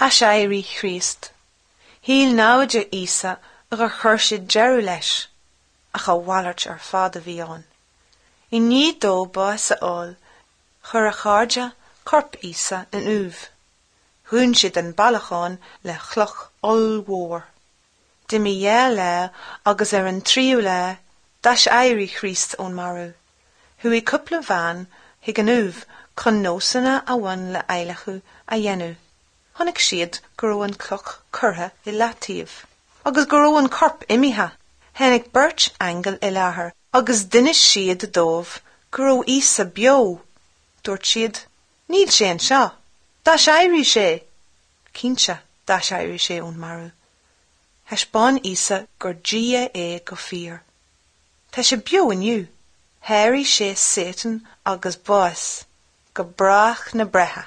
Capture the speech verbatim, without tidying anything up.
Aiséirí Chríost. Shíl naimhde Íosa gur chuir siad deireadh leis, ach a mhalairt ar fad a bhí ann. I ndiaidh dó bás a fháil, chuir a chairde corp Íosa in uaimh. Dhún siad an bailiúchán le cloch ollmhór. D'imigh dhá lá agus ar an tríú lá d'aiséirigh Críost ón marbh. Chuaigh cúpla bean chuig an uaimh chun nósanna a bhain le adhlacadh a dhéanamh. Chonaic siad go raibh an cloch curtha i leataobh, agus go raibh an corp imithe. Tháinig beirt aingeal i láthair agus d'inis siad dóibh go raibh Íosa beo. Dúirt siad, Níl sé anseo, D'aiséirigh sé. Cinnte d'aiséirigh sé ón marbh. Thaispeáin Íosa gur Dia é go fíor. Tá sé beo inniu, Sháraigh sé Satan agus bás, go brách na breithe.